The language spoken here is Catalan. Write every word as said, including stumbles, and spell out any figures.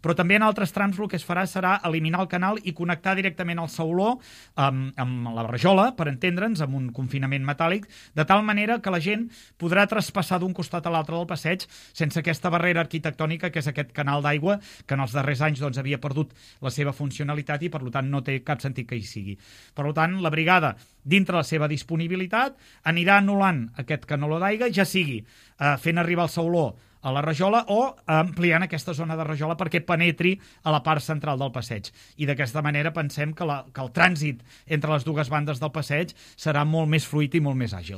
Però també en altres trams el que es farà serà eliminar el canal i connectar directament el Sauló amb, amb la Rajola, per entendre'ns, amb un confinament metàl·lic, de tal manera que la gent podrà traspassar d'un costat a l'altre del passeig sense aquesta barrera arquitectònica que és aquest canal d'aigua que en els darrers anys doncs, havia perdut la seva funcionalitat i per tant no té cap sentit que hi sigui. Per tant, la brigada, dintre la seva disponibilitat, anirà anul·lant aquest canaló d'aigua, ja sigui eh, fent arribar el Sauló a la Rajola o ampliant aquesta zona de Rajola perquè penetri a la part central del passeig. I d'aquesta manera pensem que, la, que el trànsit entre les dues bandes del passeig serà molt més fluid i molt més àgil.